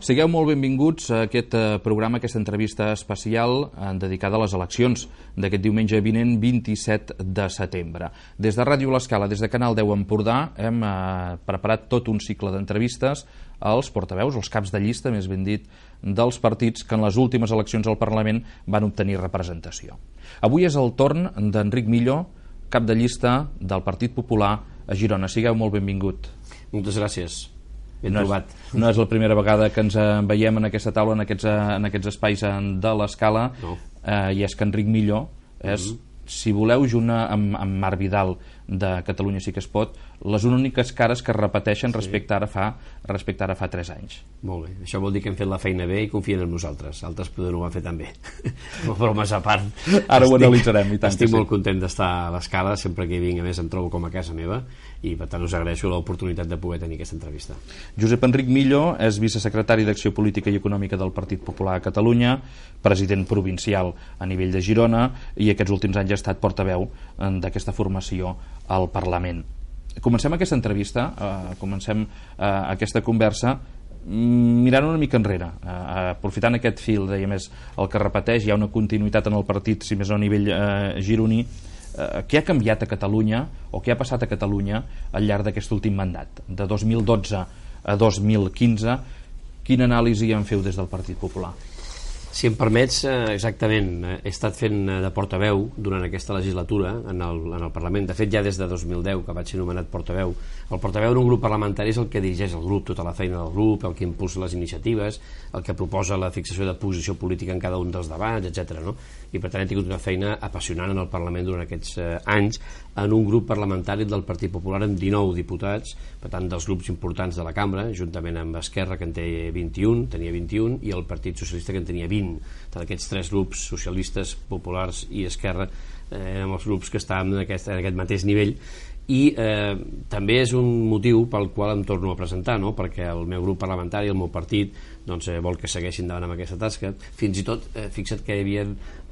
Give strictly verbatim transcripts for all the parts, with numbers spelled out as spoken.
Sigueu molt benvinguts a aquest programa, a aquesta entrevista especial dedicada a les eleccions d'aquest diumenge vinent, vint-i-set de setembre. Des de Ràdio L'Escala, des de Canal deu Empordà, hem preparat tot un cicle d'entrevistes als portaveus, als caps de llista, més ben dit, dels partits que en les últimes eleccions al Parlament van obtenir representació. Avui és el torn d'Enric Millo, cap de llista del Partit Popular a Girona. Sigueu molt benvingut. Moltes gràcies. Ben no trobat. És, no és la primera vegada que ens veiem en aquesta taula, en aquests, en aquests espais de l'Escala, no. eh, i és que Enric Millo és, mm-hmm. si voleu, junt amb, amb Marc Vidal de Catalunya Sí que es pot, les úniques cares que es repeteixen sí. respecte, ara fa, respecte ara fa tres anys. Molt bé, això vol dir que hem fet la feina bé i confien en nosaltres. Altres poder ho van fer també. Bromes a part. Ara estic, ho analitzarem. I tant estic molt sí. content d'estar a l'Escala, sempre que hi vinc, a més em trobo com a casa meva, i per tant us agraeixo l'oportunitat de poder tenir aquesta entrevista. Josep Enric Millo és vicesecretari d'Acció Política i Econòmica del Partit Popular a Catalunya, president provincial a nivell de Girona, i aquests últims anys ha estat portaveu d'aquesta formació al Parlament. Comencem aquesta entrevista, eh, comencem eh, aquesta conversa mirant una mica enrere, eh, aprofitant aquest fil, deia més, el que repeteix, hi ha una continuïtat en el partit, si més no a nivell eh, gironí. Eh, què ha canviat a Catalunya, o què ha passat a Catalunya al llarg d'aquest últim mandat, de dos mil dotze a dos mil quinze? Quina anàlisi en feu des del Partit Popular? Si em permets, exactament, he estat fent de portaveu durant aquesta legislatura en el, en el Parlament. De fet, ja des de dos mil deu, que vaig ser nomenat portaveu. El portaveu d'un grup parlamentari és el que dirigeix el grup, tota la feina del grup, el que impulsa les iniciatives, el que proposa la fixació de posició política en cada un dels debats, etcètera. No? I per tant he tingut una feina apassionant en el Parlament durant aquests eh, anys en un grup parlamentari del Partit Popular amb dinou diputats, per tant dels grups importants de la cambra, juntament amb Esquerra, que en té vint-i-un, tenia vint-i-un, i el Partit Socialista, que en tenia vint. D'aquests tres grups, socialistes, populars i Esquerra, eh, érem els grups que estàvem en aquest, en aquest mateix nivell, i eh, també és un motiu pel qual em torno a presentar, no? Perquè el meu grup parlamentari, el meu partit, doncs, eh, vol que segueixin davant amb aquesta tasca. Fins i tot, eh, fixa't que hi havia,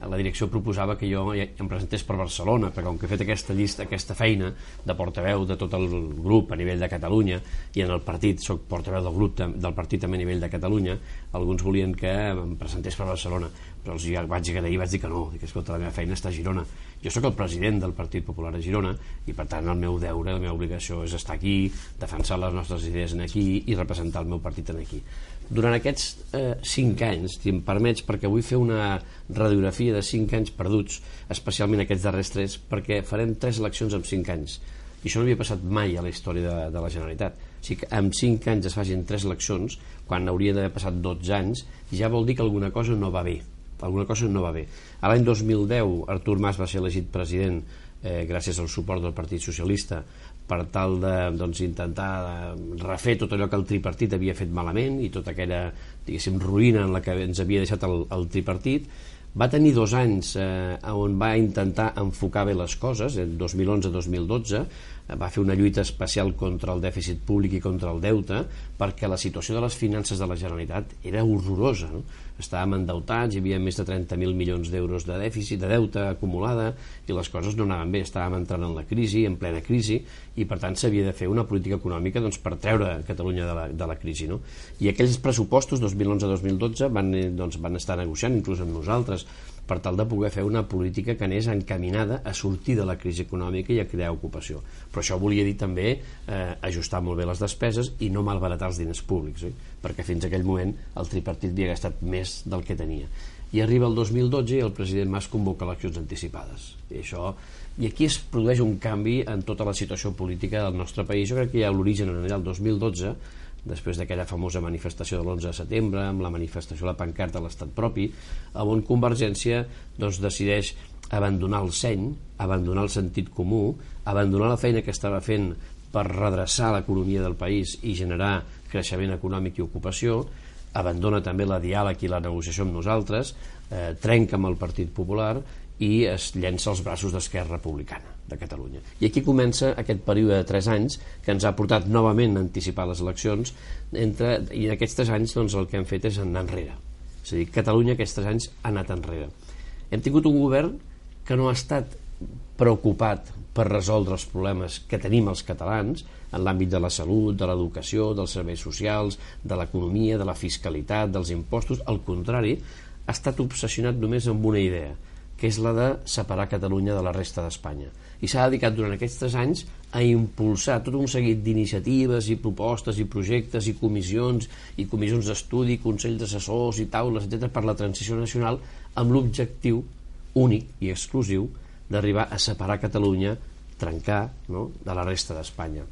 la direcció proposava que jo em presentés per Barcelona, perquè com que he fet aquesta llista, aquesta feina de portaveu de tot el grup a nivell de Catalunya, i en el partit soc portaveu del grup del partit també a nivell de Catalunya, alguns volien que em presentés per Barcelona, però els vaig agrair i vaig dir que no, que escolta, la meva feina està a Girona. Jo sóc el president del Partit Popular a Girona i per tant el meu deure, la meva obligació és estar aquí, defensar les nostres idees aquí i representar el meu partit aquí. Durant aquests eh, cinc anys, si em permets, perquè vull fer una radiografia de cinc anys perduts, especialment aquests darrers tres, perquè farem tres eleccions en cinc anys. I això no havia passat mai a la història de, de la Generalitat. O sigui que en cinc anys es facin tres eleccions, quan hauria d'haver passat dotze anys, ja vol dir que alguna cosa no va bé. Alguna cosa no va bé. A l'any dos mil deu, Artur Mas va ser elegit president eh, gràcies al suport del Partit Socialista per tal de doncs, intentar refer tot allò que el tripartit havia fet malament i tota aquella, diguéssim, ruïna en la que ens havia deixat el, el tripartit. Va tenir dos anys eh, on va intentar enfocar bé les coses, en dos mil onze dos mil dotze, va fer una lluita especial contra el dèficit públic i contra el deute, perquè la situació de les finances de la Generalitat era horrorosa, no? Estàvem endeutats, hi havia més de trenta mil milions d'euros de dèficit, de deute acumulada, i les coses no anaven bé, estàvem entrant en la crisi, en plena crisi, i per tant s'havia de fer una política econòmica doncs, per treure Catalunya de la, de la crisi, no? I aquells pressupostos dos mil onze dos mil dotze van, doncs, van estar negociant inclús amb nosaltres per tal de poder fer una política que anés encaminada a sortir de la crisi econòmica i a crear ocupació. Però això volia dir també eh, ajustar molt bé les despeses i no malbaratar els diners públics, oi? Perquè fins a aquell moment el tripartit havia gastat més del que tenia. I arriba el dos mil dotze i el president Mas convoca eleccions anticipades. I, això, i aquí es produeix un canvi en tota la situació política del nostre país. Jo crec que hi ha l'origen en allà el dos mil dotze, després d'aquella famosa manifestació de l'onze de setembre, amb la manifestació de la pancarta de l'estat propi, on Convergència doncs, decideix abandonar el seny, abandonar el sentit comú, abandonar la feina que estava fent per redreçar l'economia del país i generar creixement econòmic i ocupació, abandona també la diàleg i la negociació amb nosaltres, eh, trenca amb el Partit Popular i es llença als braços d'Esquerra Republicana de Catalunya. I aquí comença aquest període de tres anys que ens ha portat novament a anticipar les eleccions, entre, i en aquests tres anys doncs, el que hem fet és anar enrere. És a dir, Catalunya aquests tres anys ha anat enrere. Hem tingut un govern que no ha estat preocupat per resoldre els problemes que tenim els catalans en l'àmbit de la salut, de l'educació, dels serveis socials, de l'economia, de la fiscalitat, dels impostos. Al contrari, ha estat obsessionat només amb una idea, que és la de separar Catalunya de la resta d'Espanya. I s'ha dedicat durant aquests tres anys a impulsar tot un seguit d'iniciatives i propostes i projectes i comissions i comissions d'estudi, consells d'assessors i taules, etcètera, per la transició nacional, amb l'objectiu únic i exclusiu d'arribar a separar Catalunya, trencar, no?, de la resta d'Espanya.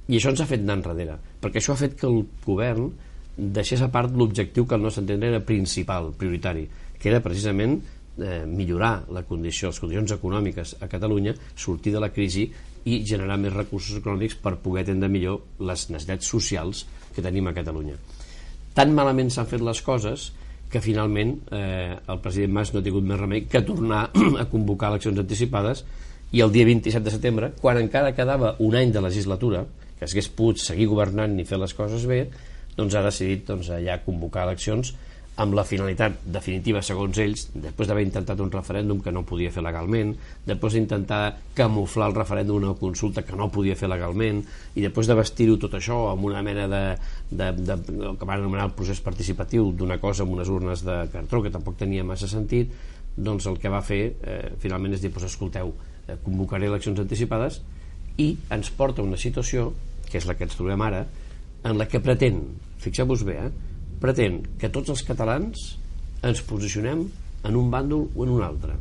I això ens ha fet anar enrere, perquè això ha fet que el govern deixés a part l'objectiu que al nostre entendre era principal, prioritari, que era precisament eh, millorar la condició, les condicions econòmiques a Catalunya, sortir de la crisi i generar més recursos econòmics per poder atendre millor les necessitats socials que tenim a Catalunya. Tan malament s'han fet les coses que finalment eh, el president Mas no ha tingut més remei que tornar a convocar eleccions anticipades, i el dia vint-i-set de setembre, quan encara quedava un any de legislatura, que s'hagués pogut seguir governant i fer les coses bé, doncs ha decidit doncs, ja convocar eleccions amb la finalitat definitiva, segons ells, després d'haver intentat un referèndum que no podia fer legalment, després d'intentar camuflar el referèndum d'una consulta que no podia fer legalment, i després de vestir-ho tot això amb una mena de, de, de, de que van anomenar el procés participatiu d'una cosa amb unes urnes de cartró que tampoc tenia massa sentit, doncs el que va fer eh, finalment és dir, doncs, escolteu, eh, convocaré eleccions anticipades, i ens porta una situació, que és la que ens trobem ara, en la que pretén, fixeu-vos bé, eh, pretén que tots els catalans ens posicionem en un bàndol o en un altre.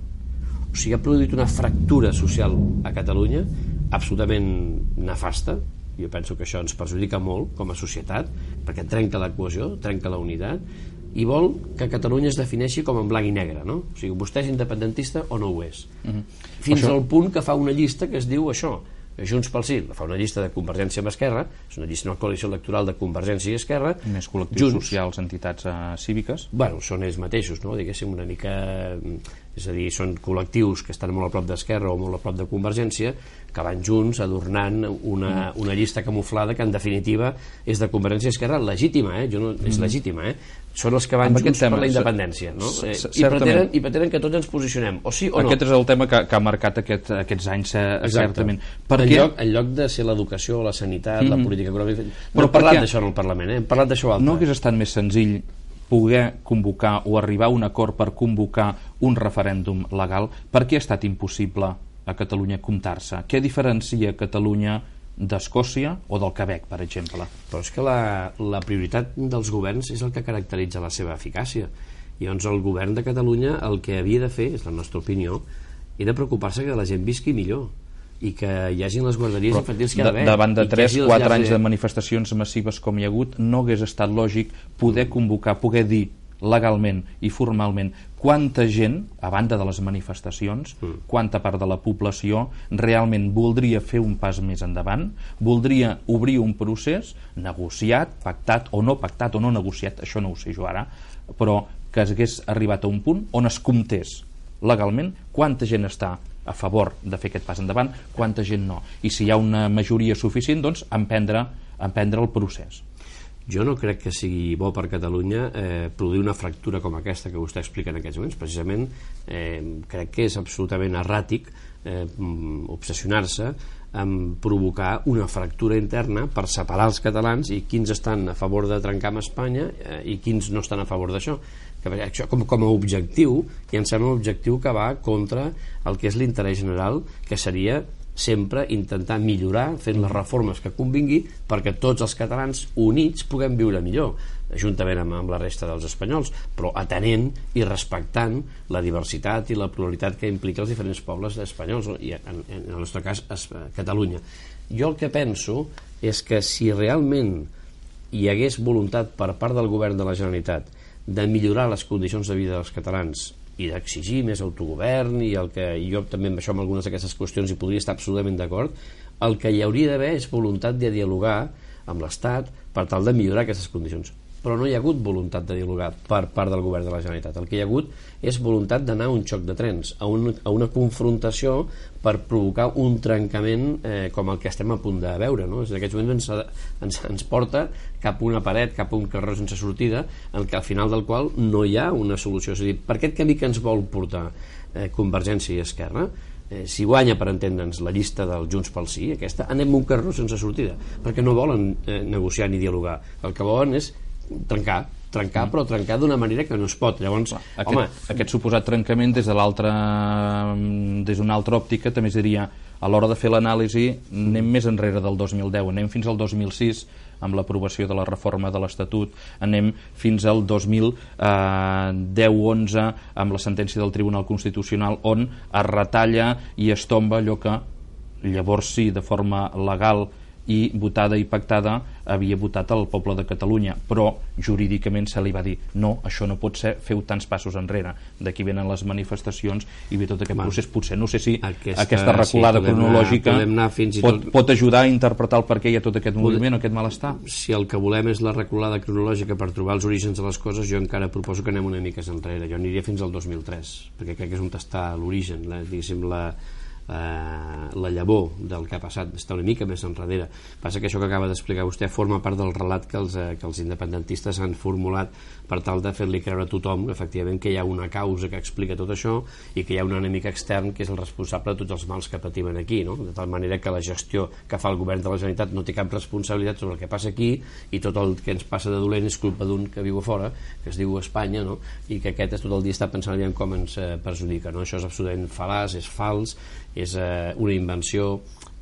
O sigui, ha produït una fractura social a Catalunya absolutament nefasta. Jo penso que això ens perjudica molt com a societat, perquè trenca la cohesió, trenca la unitat, i vol que Catalunya es defineixi com en blanc i negre, no? O sigui, vostè és independentista o no ho és. Mm-hmm. Fins això... al punt que fa una llista que es diu això, Junts pel Sí, fa una llista de Convergència amb Esquerra, és una llista, una coalició electoral de Convergència i Esquerra. Més col·lectius Junts, socials, entitats uh, cíviques. Bueno, són ells mateixos, no? Diguéssim, una mica... És a dir, són col·lectius que estan molt a prop d'Esquerra o molt a prop de Convergència, que van junts adornant una, una llista camuflada que en definitiva és de Convergència i Esquerra legítima, eh? Jo no, és legítima, eh? Són els que van amb junts tema, per la independència, no? Eh, i, pretenen, I pretenen que tots ens posicionem, o sí o no. Aquest és el tema que, que ha marcat aquest, aquests anys, eh, certament. Per en, lloc, en lloc de ser l'educació, la sanitat, mm-hmm. la política econòmica... No hem parlat d'això en el Parlament, eh? Hem parlat d'això altre. No hagués estat més senzill poder convocar o arribar a un acord per convocar un referèndum legal? Per què ha estat impossible a Catalunya comptar-se? Què diferencia Catalunya d'Escòcia o del Quebec, per exemple? Però és que la, la prioritat dels governs és el que caracteritza la seva eficàcia. I llavors el govern de Catalunya el que havia de fer, és la nostra opinió, era preocupar-se que la gent visqui millor i que hi hagin les guarderies Però infantils que hi ha d'haver. Davant de tres o quatre anys de manifestacions massives com hi ha hagut, no hagués estat lògic poder convocar, poder dir legalment i formalment quanta gent, a banda de les manifestacions, mm. quanta part de la població realment voldria fer un pas més endavant, voldria obrir un procés negociat, pactat o no pactat o no negociat, això no ho sé jo ara, però que hagués arribat a un punt on es comptés legalment quanta gent està a favor de fer aquest pas endavant, quanta gent no, i si hi ha una majoria suficient, doncs emprendre, emprendre el procés. Jo no crec que sigui bo per Catalunya eh, produir una fractura com aquesta que vostè explica en aquests moments. Precisament eh, crec que és absolutament erràtic eh, obsessionar-se en provocar una fractura interna per separar els catalans i quins estan a favor de trencar amb Espanya eh, i quins no estan a favor d'això. Que això com, com a objectiu, i em sembla un objectiu que va contra el que és l'interès general, que seria sempre intentar millorar fent les reformes que convingui perquè tots els catalans units puguem viure millor, juntament amb, amb la resta dels espanyols, però atenent i respectant la diversitat i la pluralitat que implica els diferents pobles espanyols, i en, en el nostre cas es, Catalunya. Jo el que penso és que si realment hi hagués voluntat per part del govern de la Generalitat de millorar les condicions de vida dels catalans i d'exigir més autogovern, i el que jo també amb això, amb algunes d'aquestes qüestions hi podria estar absolutament d'acord, el que hi hauria d'haver és voluntat de dialogar amb l'Estat per tal de millorar aquestes condicions. però no hi ha hagut voluntat de dialogar per part del govern de la Generalitat. El que hi ha hagut és voluntat d'anar a un xoc de trens, a, un, a una confrontació per provocar un trencament eh, com el que estem a punt de veure, no? En aquests moments ens, ens, ens porta cap a una paret, cap a un carrer sense sortida, en què al final del qual no hi ha una solució. És a dir, per aquest camí que ens vol portar eh, Convergència i Esquerra, Eh, si guanya, per entendre'ns, la llista del Junts pel Sí, aquesta, anem un carró sense sortida, perquè no volen eh, negociar ni dialogar. El que volen és trencar, trencar, mm. però trencar d'una manera que no es pot. Llavors, aquest, home... aquest suposat trencament des de l'altra des d'una altra òptica també seria, a l'hora de fer l'anàlisi, anem més enrere del dos mil deu, anem fins al dos mil sis amb l'aprovació de la reforma de l'Estatut, anem fins al dos mil deu onze amb la sentència del Tribunal Constitucional, on es retalla i es tomba allò que llavors sí, de forma legal i votada i pactada, havia votat el poble de Catalunya, però jurídicament se li va dir no, això no pot ser, feu tants passos enrere. D'aquí venen les manifestacions i ve tot aquest bueno, procés. Potser no sé si aquesta, aquesta reculada sí, cronològica anar, anar pot, tot... pot ajudar a interpretar el per què hi ha tot aquest moviment o aquest malestar. Si el que volem és la reculada cronològica per trobar els orígens de les coses, jo encara proposo que anem una mica enrere. Jo aniria fins al dos mil tres, perquè crec que és on està l'origen, la, diguéssim, la Uh, la llavor del que ha passat està una mica més enrere. Passa que això que acaba d'explicar vostè forma part del relat que els, uh, que els independentistes han formulat per tal de fer-li creure a tothom efectivament que hi ha una causa que explica tot això i que hi ha un enemic extern que és el responsable de tots els mals que patim aquí, no? De tal manera que la gestió que fa el govern de la Generalitat no té cap responsabilitat sobre el que passa aquí i tot el que ens passa de dolent és culpa d'un que viu a fora, que es diu Espanya, no? I que aquest tot el dia està pensant en com ens eh, perjudica, no? Això és absolutament fal·laç, és fals, és eh, una invenció,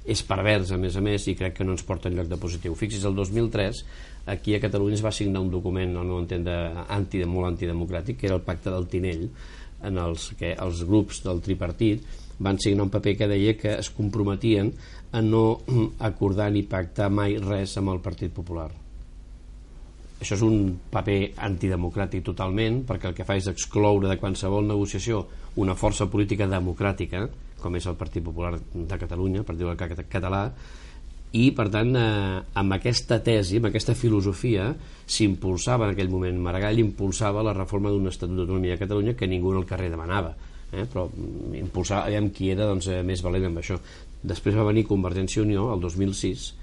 és pervers a més a més i crec que no ens porta enlloc de positiu. Fixis, el dos mil tres aquí a Catalunya es va signar un document, al meu entendre, anti, molt antidemocràtic, que era el Pacte del Tinell, en els que els grups del tripartit van signar un paper que deia que es comprometien a no acordar ni pactar mai res amb el Partit Popular. Això és un paper antidemocràtic totalment, perquè el que fa és excloure de qualsevol negociació una força política democràtica, com és el Partit Popular de Catalunya, el Partit Popular Català, i per tant eh, amb aquesta tesi, amb aquesta filosofia s'impulsava en aquell moment, Maragall impulsava la reforma d'un Estatut d'Autonomia de Catalunya que ningú al carrer demanava, eh? Però impulsava, aviam qui era doncs, eh, més valent amb això. Després va venir Convergència i Unió el dos mil sis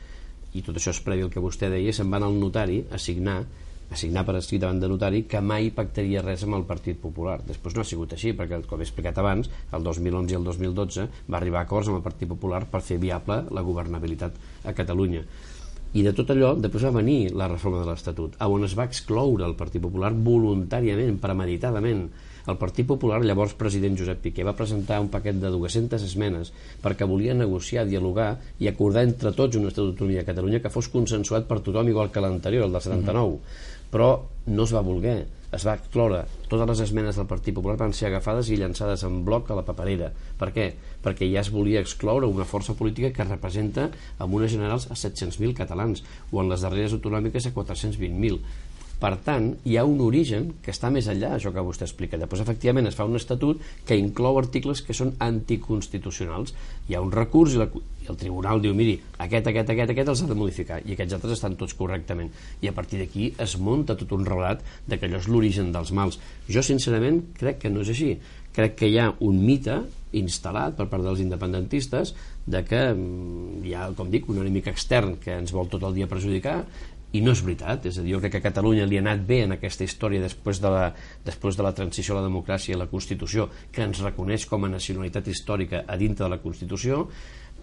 i tot això és previ al que vostè deia, se'n van al notari a signar a signar per escrit davant de notari que mai pactaria res amb el Partit Popular. Després no ha sigut així, perquè com he explicat abans, el dos mil onze i el dos mil dotze va arribar a acords amb el Partit Popular per fer viable la governabilitat a Catalunya. I de tot allò, després va venir la reforma de l'Estatut, on es va excloure el Partit Popular voluntàriament, premeditadament. El Partit Popular, llavors president Josep Piqué, va presentar un paquet de dues-centes esmenes perquè volia negociar, dialogar i acordar entre tots un Estatut d'Autonomia de Catalunya que fos consensuat per tothom igual que l'anterior, el del setanta-nou. Però no es va voler, es va excloure. Totes les esmenes del Partit Popular van ser agafades i llançades en bloc a la paperera. Per què? Perquè ja es volia excloure una força política que representa amb unes generals a set-cents mil catalans o en les darreres autonòmiques a quatre-cents vint mil. Per tant, hi ha un origen que està més enllà d'això que vostè explica. Després, efectivament, es fa un estatut que inclou articles que són anticonstitucionals. Hi ha un recurs i, la, i el tribunal diu, miri, aquest, aquest, aquest, aquest els ha de modificar, i aquests altres estan tots correctament. I a partir d'aquí es munta tot un relat de que allò és l'origen dels mals. Jo, sincerament, crec que no és així. Crec que hi ha un mite instal·lat per part dels independentistes de que hi ha, com dic, un enemic extern que ens vol tot el dia perjudicar. I no és veritat, és a dir, jo crec que a Catalunya li ha anat bé en aquesta història després de la, després de la transició a la democràcia i a la Constitució, que ens reconeix com a nacionalitat històrica a dintre de la Constitució.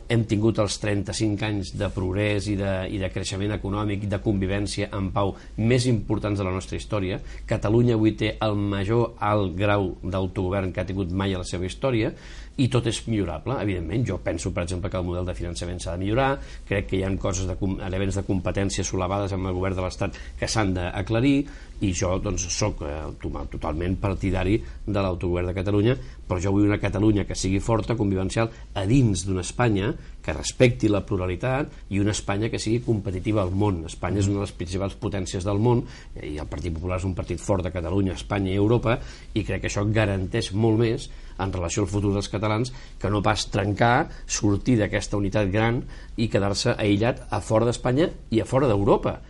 Hem tingut els trenta-cinc anys de progrés i de, i de creixement econòmic i de convivència en pau més importants de la nostra història. Catalunya avui té el major alt grau d'autogovern que ha tingut mai a la seva història, i tot és millorable, evidentment. Jo penso, per exemple, que el model de finançament s'ha de millorar, crec que hi ha coses de, elements de competència solapades amb el govern de l'Estat que s'han d'aclarir, i jo doncs soc eh, totalment partidari de l'autogovern de Catalunya, però jo vull una Catalunya que sigui forta, convivencial, a dins d'una Espanya que respecti la pluralitat i una Espanya que sigui competitiva al món. Espanya és una de les principals potències del món i el Partit Popular és un partit fort de Catalunya, Espanya i Europa, i crec que això garanteix molt més en relació al futur dels catalans que no pas trencar, sortir d'aquesta unitat gran i quedar-se aïllat a fora d'Espanya i a fora d'Europa.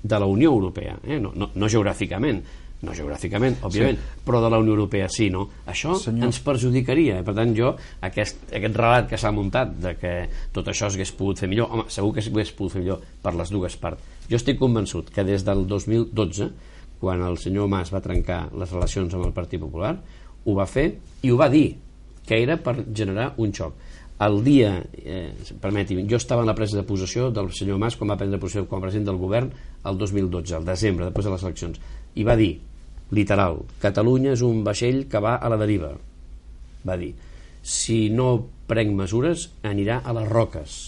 de la Unió Europea, eh? no, no, no geogràficament, no geogràficament, òbviament, sí. però de la Unió Europea sí, no? Això Senyor. ens perjudicaria. Per tant, jo, aquest, aquest relat que s'ha muntat de que tot això s'hagués pogut fer millor, home, segur que s'hagués pogut fer millor per les dues parts. Jo estic convençut que des del dos mil dotze, quan el senyor Mas va trencar les relacions amb el Partit Popular, ho va fer i ho va dir, que era per generar un xoc. El dia, eh, permeti'm, jo estava en la presa de possessió del senyor Mas quan va prendre possessió com a president del govern el dos mil dotze, al desembre, després de les eleccions, i va dir, literal, Catalunya és un vaixell que va a la deriva. Va dir, si no prenc mesures anirà a les roques,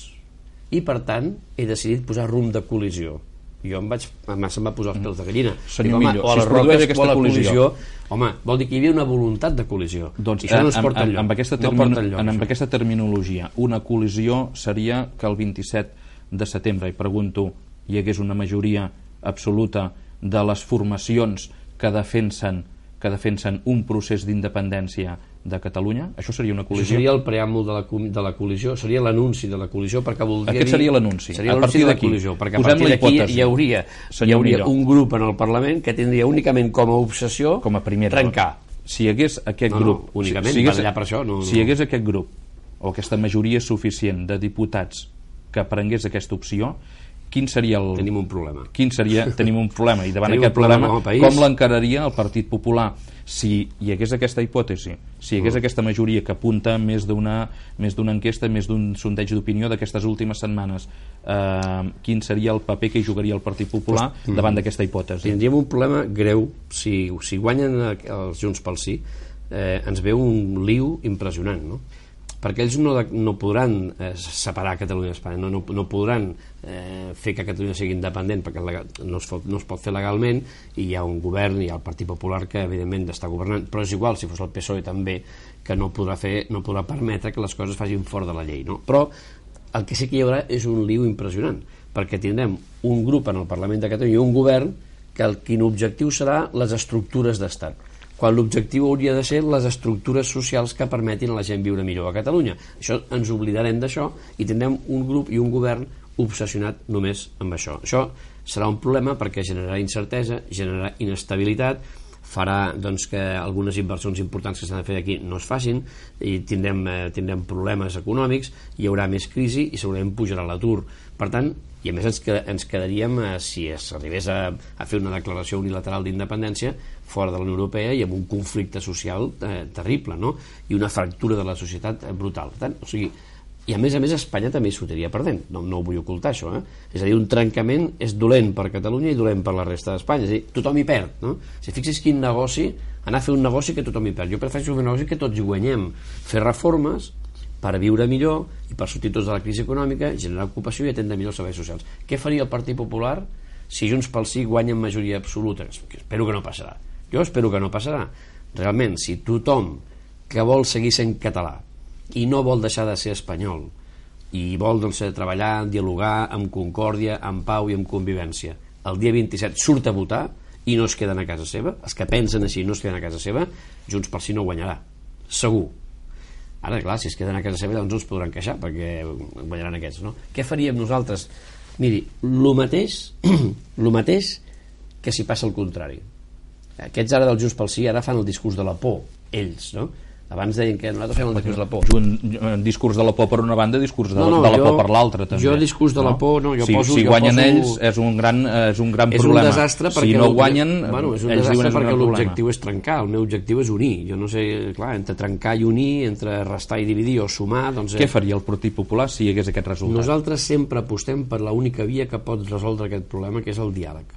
i per tant he decidit posar rumb de col·lisió. Jo em vaig, se'm va posar els pèls de gallina. Senyor Dic, Millo, o a les si roques aquesta o a la col·lisió, col·lisió, home, vol dir que hi havia una voluntat de col·lisió. Doncs, i això no ens amb, porta enlloc. Amb, aquesta, termino, no porta enlloc, amb aquesta terminologia, una col·lisió seria que el vint-i-set de setembre, i pregunto, hi hagués una majoria absoluta de les formacions que defensen que defensen un procés d'independència de Catalunya? Això seria una col·lisió? Això seria el preàmbul de la, de la col·lisió, seria l'anunci de la col·lisió, perquè voldria Aquest dir... seria l'anunci. Seria l'anunci de la col·lisió, perquè a partir d'aquí hi hauria, hi hauria un grup en el Parlament que tindria únicament com a obsessió com a primera, trencar. Si hi hagués aquest no, grup... No, únicament, si, si hagués, per això, no, no. Si hi hagués aquest grup, o aquesta majoria suficient de diputats que prengués aquesta opció, quin seria el... Tenim un problema. Quin seria... Tenim un problema. I davant Tenim aquest problema, problema com l'encararia el Partit Popular? Si hi hagués aquesta hipòtesi, si hi hagués mm. aquesta majoria que apunta més d'una més d'una enquesta, més d'un sondeig d'opinió d'aquestes últimes setmanes, eh, quin seria el paper que hi jugaria el Partit Popular pues, davant mm. d'aquesta hipòtesi? Tindríem un problema greu. Si, si guanyen els Junts pel Sí, eh, ens ve un liu impressionant, no? Perquè ells no, no podran eh, separar Catalunya d'Espanya, no, no, no podran eh, fer que Catalunya sigui independent, perquè legal, no, es pot, no es pot fer legalment, i hi ha un govern, hi ha el Partit Popular que evidentment està governant, però és igual si fos el P S O E també, que no podrà fer, no podrà permetre que les coses facin fora de la llei, no? Però el que sí que hi haurà és un liu impressionant, perquè tindrem un grup en el Parlament de Catalunya i un govern que el quin objectiu serà les estructures d'estat, quan l'objectiu hauria de ser les estructures socials que permetin a la gent viure millor a Catalunya. Això ens oblidarem d'això i tindrem un grup i un govern obsessionat només amb això. Això serà un problema perquè generarà incertesa, generarà inestabilitat, farà doncs, que algunes inversions importants que s'han de fer aquí no es facin i tindrem, eh, tindrem problemes econòmics, hi haurà més crisi i segurament pujarà l'atur. Per tant, i a més ens, ens quedaríem, eh, si s'arribés a, a fer una declaració unilateral d'independència fora de la Unió Europea i amb un conflicte social eh, terrible, no? I una fractura de la societat eh, brutal. Per tant, o sigui, i a més a més Espanya també hi sortiria perdent, no, no ho vull ocultar això, eh? És a dir, un trencament és dolent per Catalunya i dolent per la resta d'Espanya, és a dir, tothom hi perd, no? Si fixis quin negoci, anar a fer un negoci que tothom hi perd. Jo prefereixo fer un negoci que tots hi guanyem, fer reformes per viure millor i per sortir tots de la crisi econòmica, generar ocupació i atendre millor els serveis socials. Què faria el Partit Popular si Junts pel Sí guanya en majoria absoluta? Espero que no passarà. Jo espero que no passarà. Realment, si tothom que vol seguir sent català i no vol deixar de ser espanyol i vol doncs, treballar, dialogar amb concòrdia, amb pau i amb convivència, el dia vint-i-set surt a votar i no es queden a casa seva, els que pensen així no es queden a casa seva, Junts pel Sí no guanyarà, segur. Ara, clar, si es queden a casa seva doncs no es podran queixar perquè guanyaran aquests, no? Què faríem nosaltres? Miri, el mateix el mateix que si passa el contrari. Aquests ara del Junts pel Sí ara fan el discurs de la por, ells, no? Abans deien que nosaltres fem el discurs de la por. Un discurs de la por per una banda, discurs de, no, no, de la jo, por per l'altra també. Jo discurs de no? la por, no, jo si, poso... Si jo guanyen poso, ells és un gran, és un gran és problema. És un desastre perquè... Si no guanyen, bueno, és un ells desastre diuen perquè és l'objectiu és trencar, el meu objectiu és unir. Jo no sé, clar, entre trencar i unir, entre restar i dividir o sumar... Doncs, què faria el Partit Popular si hi hagués aquest resultat? Nosaltres sempre apostem per l'única via que pot resoldre aquest problema, que és el diàleg.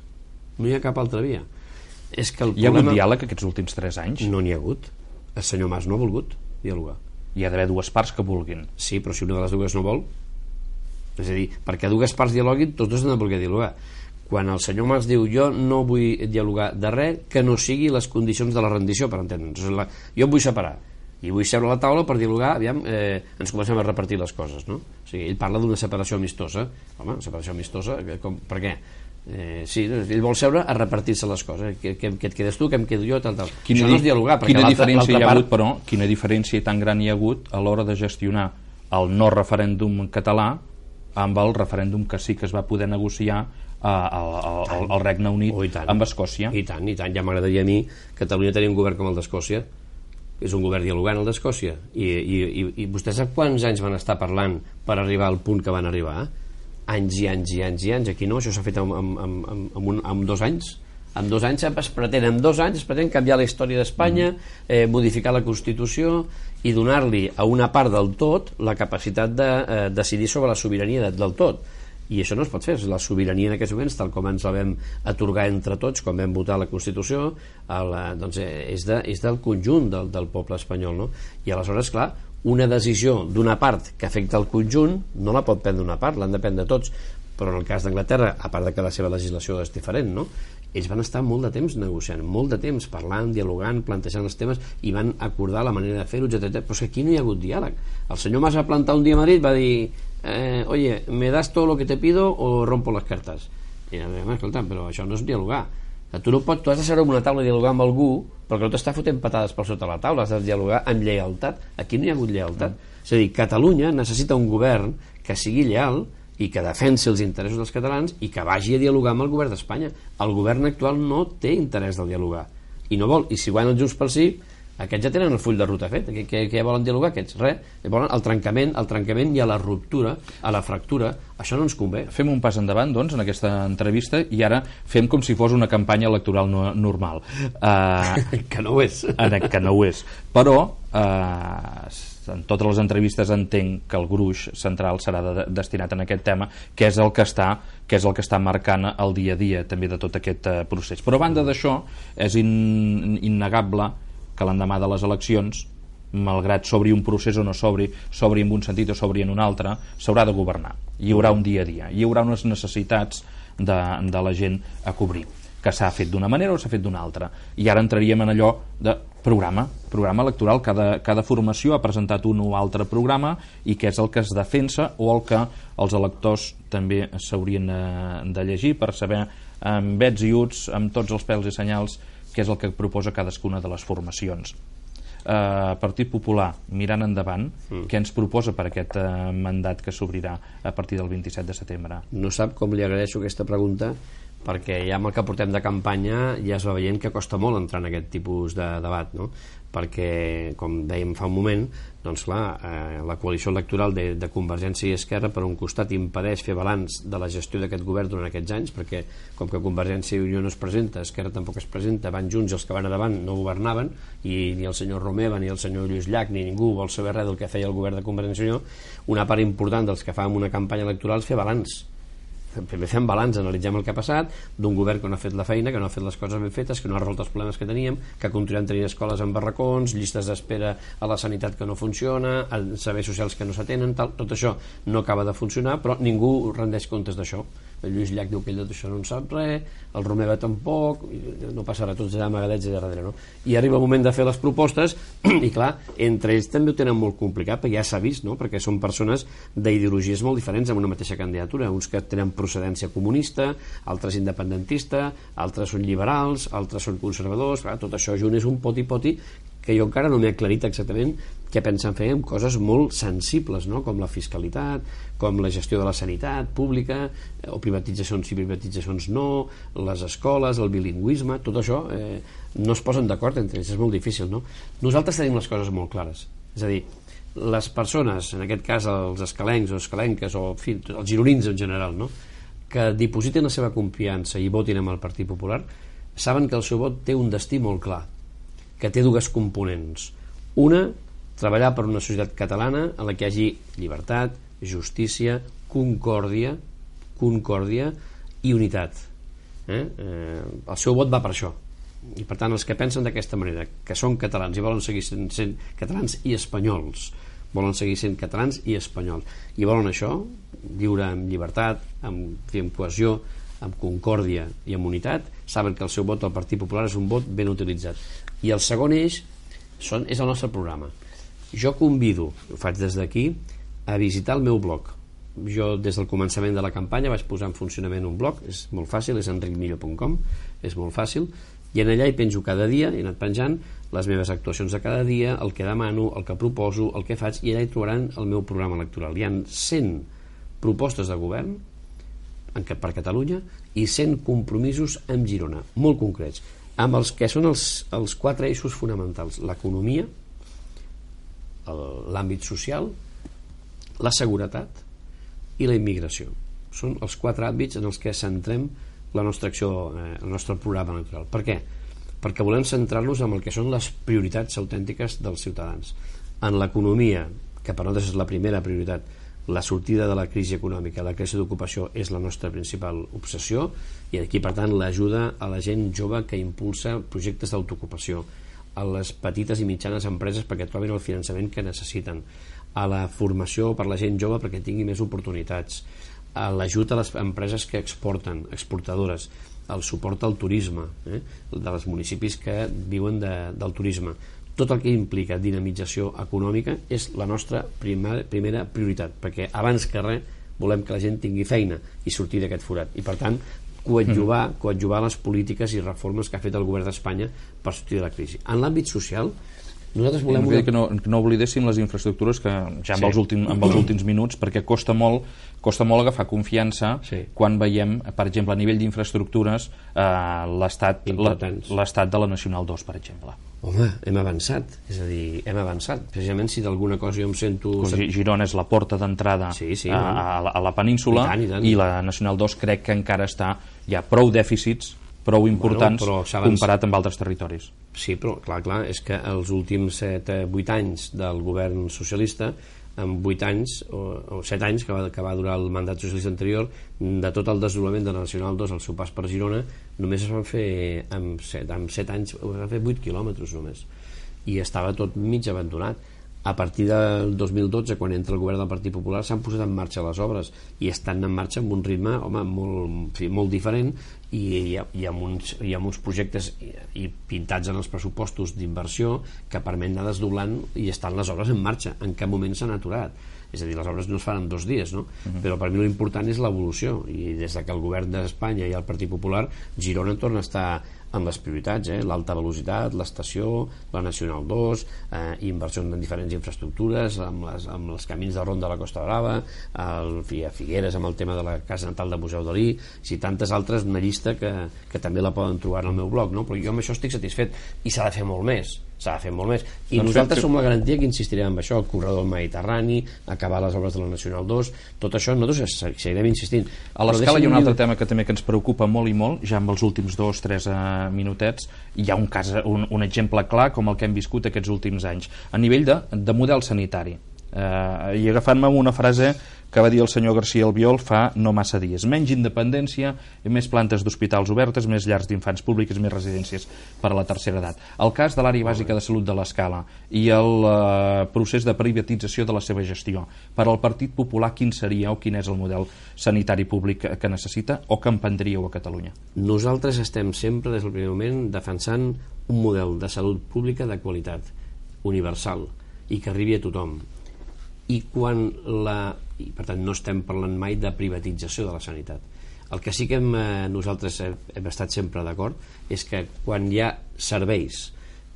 No hi ha cap altra via. És que el hi ha problema... hagut diàleg aquests últims tres anys? No n'hi ha hagut. El senyor Mas no ha volgut dialogar. Hi ha d'haver dues parts que vulguin. Sí, però si una de les dues no vol, és a dir, perquè dues parts dialoguin, tots dos han de voler dialogar. Quan el senyor Mas diu jo no vull dialogar de res que no sigui les condicions de la rendició, per entendre'ns, jo em vull separar i vull seure a la taula per dialogar, aviam, eh, ens comencem a repartir les coses, no? O sigui, ell parla d'una separació amistosa. Home, separació amistosa, com, per què? Eh, sí, ell vol seure a repartir-se les coses, que, que, que et quedes tu, que em quedo jo, tal, tal. Quina, això no és dialogar, perquè quina diferència hi ha part... hagut, però, quina diferència tan gran hi ha hagut a l'hora de gestionar el no referèndum català amb el referèndum que sí que es va poder negociar al, al, al Regne Unit oh, amb Escòcia. I tant, i tant, ja m'agradaria a mi Catalunya tenir un govern com el d'Escòcia. És un govern dialogant, el d'Escòcia, i, i, i, i vostès sap quants anys van estar parlant per arribar al punt que van arribar? Anys i anys i anys i anys. Aquí no, això s'ha fet en, en, en, en, un, en dos anys. En dos anys es pretén, en dos anys es pretén canviar la història d'Espanya, eh, modificar la Constitució i donar-li a una part del tot la capacitat de eh, decidir sobre la sobirania de, del tot. I això no es pot fer. La sobirania en aquests moments, tal com ens la vam atorgar entre tots quan vam votar la Constitució, el, doncs és, de, és del conjunt del, del poble espanyol, no? I aleshores, clar, una decisió d'una part que afecta el conjunt no la pot prendre una part, l'han de prendre tots. Però en el cas d'Anglaterra, a part de que la seva legislació és diferent, no? Ells van estar molt de temps negociant, molt de temps parlant, dialogant, plantejant els temes i van acordar la manera de fer-ho, etcètera. Però és que aquí no hi ha hagut diàleg. El senyor Mas va plantar un dia a Madrid, va dir eh, oye, ¿me das todo lo que te pido o rompo las cartas? I a veure, escolta, però això no és dialogar. Tu no pots, tu has de seure en una taula i dialogar amb algú perquè no t'està fotent patades per sota la taula, has de dialogar amb lleialtat. Aquí no hi ha hagut lleialtat. Mm. És a dir, Catalunya necessita un govern que sigui lleal i que defensi els interessos dels catalans i que vagi a dialogar amb el govern d'Espanya. El govern actual no té interès de dialogar i no vol, i si guanyen els Junts pel Sí, aquests ja tenen el full de ruta fet. Què, què, què volen dialogar aquests? Res. Volen el trencament, el trencament i a la ruptura, a la fractura. Això no ens convé. Fem un pas endavant, doncs, en aquesta entrevista i ara fem com si fos una campanya electoral no, normal. Uh, que no ho és. Que no ho és. Però uh, en totes les entrevistes entenc que el gruix central serà de, destinat en aquest tema, que és el que està que és el que està marcant el dia a dia també de tot aquest uh, procés. Però a banda d'això, és in, innegable que l'endemà de les eleccions, malgrat s'obri un procés o no s'obri, s'obri en un sentit o s'obri en un altre, s'haurà de governar. Hi haurà un dia a dia, hi haurà unes necessitats de, de la gent a cobrir, que s'ha fet d'una manera o s'ha fet d'una altra. I ara entraríem en allò de programa, programa electoral. Cada, cada formació ha presentat un o altre programa i què és el que es defensa o el que els electors també s'haurien de llegir per saber amb vets i uts, amb tots els pèls i senyals, què és el que proposa cadascuna de les formacions. Uh, Partit Popular, mirant endavant, mm. què ens proposa per aquest uh, mandat que s'obrirà a partir del vint-i-set de setembre? No sap com li agraeixo aquesta pregunta, perquè ja amb el que portem de campanya ja es va veient que costa molt entrar en aquest tipus de debat, no? Perquè, com dèiem fa un moment, doncs clar, eh, la coalició electoral de, de Convergència i Esquerra per un costat impedeix fer balanç de la gestió d'aquest govern durant aquests anys, perquè com que Convergència i Unió no es presenta, Esquerra tampoc es presenta, van junts i els que van a davant no governaven, i ni el senyor Romeva ni el senyor Lluís Llach ni ningú vol saber res del que feia el govern de Convergència i Unió. Una part important dels que fan una campanya electoral és fer balanç. Primer fem balanç, analitzem el que ha passat d'un govern que no ha fet la feina, que no ha fet les coses ben fetes, que no ha resolt els problemes que teníem, que continuem tenint escoles en barracons, llistes d'espera a la sanitat que no funciona, serveis socials que no s'atenen, tot això no acaba de funcionar, però ningú rendeix comptes d'això. El Lluís Llach diu que ell d'això no en sap res, el Romeva tampoc, no passarà, tots allà amagadets i darrere, no? I arriba el moment de fer les propostes i clar, entre ells també ho tenen molt complicat, perquè ja s'ha vist, no? Perquè són persones d'ideologies molt diferents amb una mateixa candidatura, uns que tenen procedència comunista, altres independentista, altres són liberals, altres són conservadors, clar, tot això junt és un poti-poti que jo encara no m'he aclarit exactament què pensen fer amb coses molt sensibles, no? Com la fiscalitat, com la gestió de la sanitat pública, o privatitzacions i privatitzacions no, les escoles, el bilingüisme, tot això eh, no es posen d'acord entre ells, és molt difícil, no? Nosaltres tenim les coses molt clares, és a dir, les persones, en aquest cas els escalencs o escalenques, o en fi, els gironins en general, no? Que dipositen la seva confiança i votin amb el Partit Popular, saben que el seu vot té un destí molt clar, que té dues components. Una, treballar per una societat catalana en la que hi hagi llibertat, justícia, concòrdia, concòrdia i unitat. Eh? Eh, el seu vot va per això. I per tant, els que pensen d'aquesta manera, que són catalans i volen seguir sent, sent catalans i espanyols, volen seguir sent catalans i espanyols, i volen això, viure amb llibertat, amb, amb cohesió, amb concòrdia i amb unitat, saben que el seu vot al Partit Popular és un vot ben utilitzat. I el segon eix són, és el nostre programa. Jo convido, ho faig des d'aquí, a visitar el meu blog. Jo des del començament de la campanya vaig posar en funcionament un blog, és molt fàcil, és enric millo punt com, és molt fàcil, i en allà hi penjo cada dia, he anat penjant les meves actuacions de cada dia, el que demano, el que proposo, el que faig, i allà hi trobaran el meu programa electoral. Hi ha cent propostes de govern per Catalunya i cent compromisos amb Girona, molt concrets, amb els que són els, els quatre eixos fonamentals: l'economia, l'àmbit social, la seguretat i la immigració. Són els quatre àmbits en els que centrem la nostra acció, eh, el nostre programa electoral. Per què? Perquè volem centrar-nos en el que són les prioritats autèntiques dels ciutadans. En l'economia, que per nosaltres és la primera prioritat, la sortida de la crisi econòmica, la creació d'ocupació és la nostra principal obsessió, i aquí, per tant, l'ajuda a la gent jove que impulsa projectes d'autoocupació, a les petites i mitjanes empreses perquè trobin el finançament que necessiten, a la formació per la gent jove perquè tingui més oportunitats, a l'ajut a les empreses que exporten, exportadores, el suport al turisme, eh, dels municipis que viuen de, del turisme. Tot el que implica dinamització econòmica és la nostra primera, primera prioritat, perquè abans que res volem que la gent tingui feina i sortir d'aquest forat, i per tant coadjuvar, coadjuvar les polítiques i reformes que ha fet el govern d'Espanya per sortir de la crisi. En l'àmbit social, nosaltres volem... Una... Que, no, que no oblidéssim les infraestructures, que ja amb, sí. els, últim, amb els últims minuts, perquè costa molt, costa molt agafar confiança, sí. quan veiem, per exemple, a nivell d'infraestructures, eh, l'estat l'estat de la Nacional dos, per exemple. Home, hem avançat, és a dir, hem avançat. Precisament si d'alguna cosa jo em sento... Girona és la porta d'entrada sí, sí, a, a, la, a la península, i, tant, i, tant. i la Nacional dos crec que encara està, hi ha prou dèficits, prou importants, bueno, comparat amb altres territoris. Sí, però clar, clar, és que els últims set vuit anys del govern socialista, en vuit anys o, o set anys que va, que va durar el mandat socialista anterior, de tot el desdoblament de la Nacional dos al seu pas per Girona, només es van fer amb set, amb set anys, es van fer vuit quilòmetres només, i estava tot mig abandonat. A partir del dos mil dotze, quan entra el govern del Partit Popular, s'han posat en marxa les obres i estan en marxa amb un ritme, home, molt, molt diferent, i, i, i, amb uns, i amb uns projectes i, i pintats en els pressupostos d'inversió que permeten anar desdoblant, i estan les obres en marxa, en cap moment s'han aturat. És a dir, les obres no es fan en dos dies, no? Uh-huh. Però per mi l'important és l'evolució, i des que el govern d'Espanya i el Partit Popular, Girona torna a estar en les prioritats, eh? L'alta velocitat, l'estació, la Nacional dos, eh, inversions en diferents infraestructures, amb, les, amb els camins de Ronda de la Costa Brava, el, a Figueres amb el tema de la Casa Natal de Museu Dalí, i tantes altres, una llista que, que també la poden trobar en el meu blog, no? Però jo amb això estic satisfet, i s'ha de fer molt més, s'ha de fer molt més, i doncs nosaltres som la garantia que insistirem en això, el corredor del Mediterrani, acabar les obres de la Nacional dos, tot això nosaltres seguirem insistint. A l'escala hi ha un altre tema que també que ens preocupa molt i molt, ja amb els últims dos, tres eh, minutets, hi ha un, cas, un, un exemple clar com el que hem viscut aquests últims anys, a nivell de, de model sanitari. Eh, i agafant-me amb una frase que va dir el senyor García Albiol fa no massa dies: menys independència i més plantes d'hospitals obertes, més llars d'infants públiques, més residències per a la tercera edat. El cas de l'àrea bàsica de salut de l'Escala i el eh, procés de privatització de la seva gestió, per al Partit Popular quin seria o quin és el model sanitari públic que, que necessita o que emprendríeu a Catalunya? Nosaltres estem sempre des del primer moment defensant un model de salut pública de qualitat, universal, i que arribi a tothom. I quan la... i per tant no estem parlant mai de privatització de la sanitat. El que sí que hem, eh, nosaltres hem, hem estat sempre d'acord és que quan hi ha serveis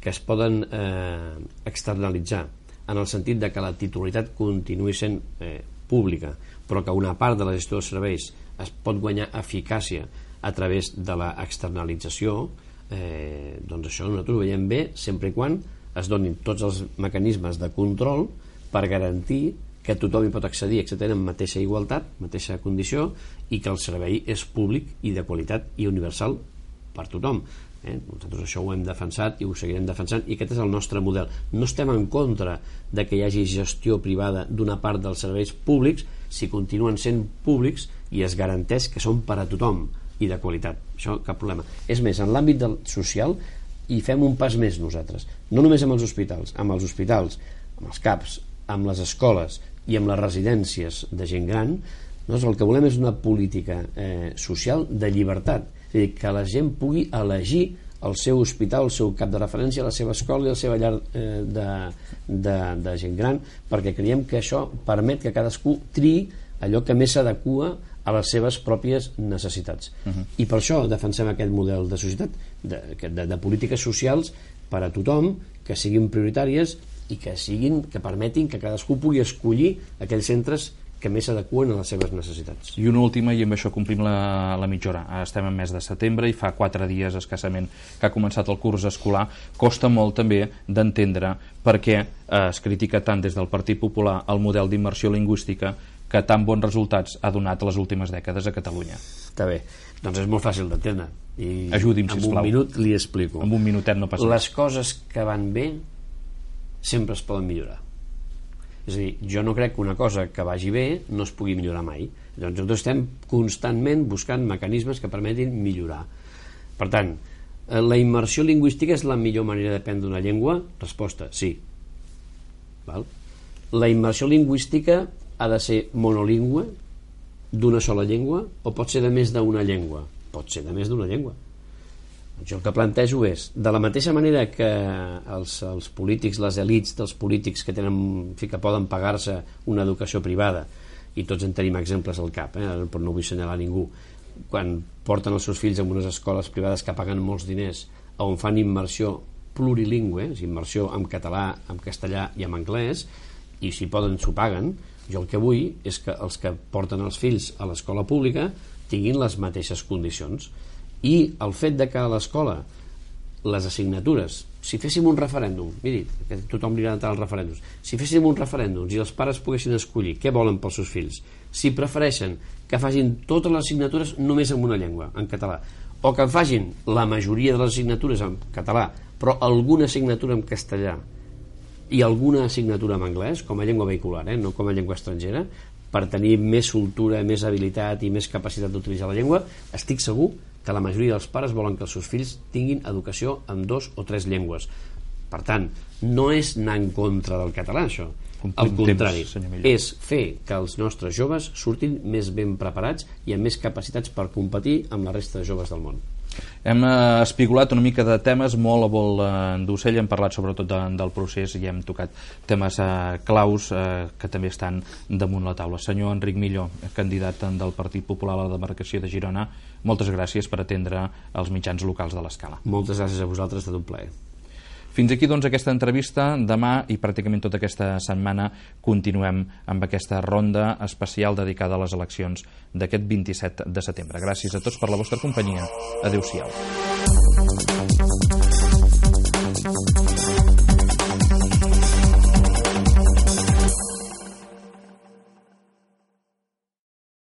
que es poden eh, externalitzar, en el sentit de que la titularitat continuï sent eh, pública, però que una part de la gestió dels serveis es pot guanyar eficàcia a través de l'externalització, eh, doncs això nosaltres ho veiem bé sempre i quan es donin tots els mecanismes de control per garantir que tothom hi pot accedir, etcètera, en mateixa igualtat, mateixa condició, i que el servei és públic i de qualitat i universal per tothom. Eh? Nosaltres això ho hem defensat i ho seguirem defensant, i aquest és el nostre model. No estem en contra de que hi hagi gestió privada d'una part dels serveis públics si continuen sent públics i es garanteix que són per a tothom i de qualitat. Això cap problema. És més, en l'àmbit del social hi fem un pas més nosaltres. No només amb els hospitals, amb els hospitals, amb els CAPs, amb les escoles i amb les residències de gent gran, doncs el que volem és una política eh, social de llibertat, és a dir, que la gent pugui elegir el seu hospital, el seu cap de referència, la seva escola i la seva llar eh, de, de, de gent gran, perquè creiem que això permet que cadascú triï allò que més s'adequa a les seves pròpies necessitats. Uh-huh. I per això defensem aquest model de societat, de, de, de polítiques socials per a tothom, que siguin prioritàries i que siguin, que permetin que cadascú pugui escollir aquells centres que més s'adeqüen a les seves necessitats. I una última, i amb això complim la, la mitja hora. Estem en mes de setembre i fa quatre dies escassament que ha començat el curs escolar. Costa molt també d'entendre per què eh, es critica tant des del Partit Popular el model d'immersió lingüística que tan bons resultats ha donat les últimes dècades a Catalunya. Està bé, doncs és molt fàcil d'entendre. I ajudi'm, sisplau. sisplau. En un minut li explico. En un minutet no passa. Les coses que van bé sempre es poden millorar. És a dir, jo no crec que una cosa que vagi bé no es pugui millorar mai. Doncs nosaltres estem constantment buscant mecanismes que permetin millorar. Per tant, la immersió lingüística és la millor manera d'aprendre una llengua? Resposta, sí. Val? La immersió lingüística ha de ser monolingüe, d'una sola llengua, o pot ser de més d'una llengua? Pot ser de més d'una llengua. Jo el que plantejo és, de la mateixa manera que els, els polítics, les elits dels polítics que tenen, que poden pagar-se una educació privada, i tots en tenim exemples al cap, eh? Però no vull assenyalar ningú, quan porten els seus fills a unes escoles privades que paguen molts diners, on fan immersió plurilingüe, immersió en català, en castellà i en anglès, i si poden s'ho paguen, jo el que vull és que els que porten els fills a l'escola pública tinguin les mateixes condicions. I el fet de que a l'escola les assignatures, si féssim un referèndum, miri, que tothom li agrada entrar als referèndums, si féssim un referèndum i els pares poguessin escollir què volen pels seus fills, si prefereixen que facin totes les assignatures només en una llengua, en català, o que facin la majoria de les assignatures en català, però alguna assignatura en castellà i alguna assignatura en anglès, com a llengua vehicular, eh? No com a llengua estrangera, per tenir més soltura, més habilitat i més capacitat d'utilitzar la llengua, estic segur que la majoria dels pares volen que els seus fills tinguin educació en dos o tres llengües. Per tant, no és anar en contra del català, això. Al contrari, és fer que els nostres joves surtin més ben preparats i amb més capacitats per competir amb la resta de joves del món. Hem eh, espigolat una mica de temes molt a vol eh, d'ocell, hem parlat sobretot de, del procés i hem tocat temes eh, claus eh, que també estan damunt la taula. Senyor Enric Millo, candidat del Partit Popular a la demarcació de Girona, moltes gràcies per atendre els mitjans locals de l'Escala. Moltes gràcies a vosaltres, ha estat un plaer. Fins aquí doncs aquesta entrevista. Demà i pràcticament tota aquesta setmana continuem amb aquesta ronda especial dedicada a les eleccions d'aquest vint-i-set de setembre. Gràcies a tots per la vostra companyia. Adéu-siau.